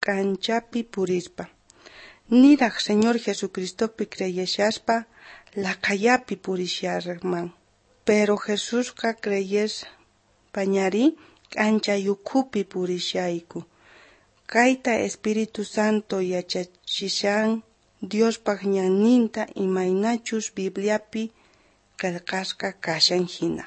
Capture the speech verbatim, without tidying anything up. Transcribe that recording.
k'anchapi purispa. Niraj Señor Jesucristopi creyeshaspa laqhayapi purisharman. Pero Jesusqa creyespañarí k'anchay ukhupi purishayku. Kayta Espíritu Santo yachachishan Diospaj ñanninta imaynachus Bibliapi qhelqasqa kashan jina.